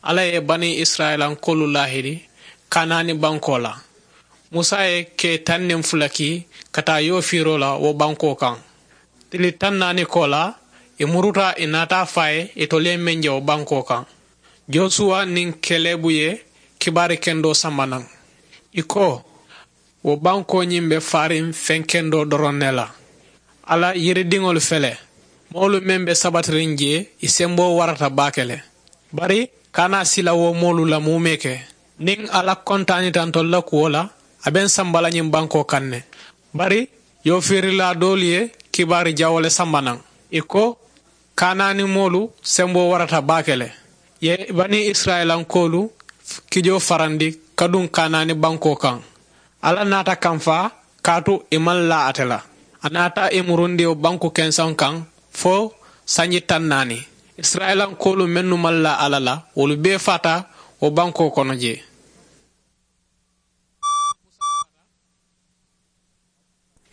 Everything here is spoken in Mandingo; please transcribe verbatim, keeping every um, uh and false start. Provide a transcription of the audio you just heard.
Alla ye banii isirayilankoolu laahidi kanaani bankoo la. Musa ye kee taŋ niŋ fula kii ka taa yoofiiroo la wo bankoo kaŋ. Tili taŋ naani koo la, ì muruta ì naata a fo a ye itolu ye meŋ je wo bankoo kaŋ. Josuwa niŋ kelebu ye kibaari kendoo samba naŋ. Ì ko, wo bankoo ñiŋ be faariŋ feŋ kendoo doroŋ ne la. Alla yiridiŋolu fele, moolu meŋ be sabatiriŋ jee, ì semboo warata baake le. Bari kana sila wo moolu la muumee ke. Niŋ alla kontaanita ntolu la kuwo la, a be n samba la ñiŋ bankoo kaŋ ne. Bari yoofiirilaa doolu ye kibaari jawoo le samba naŋ. Ì ko, kanaani moolu semboo warata baake le. Ì ye banii isirayilankoolu kijoo farandi ka duŋ kanaani bankoo kaŋ. Alla naata kamfaa kaatu ì maŋ laa ate la. A naata ì murundi wo banku kenseŋo kaŋ fo sanji taŋ naani. Isirayilankoolu mennu maŋ laa alla la, wolu bee faata wo bankoo kono jee.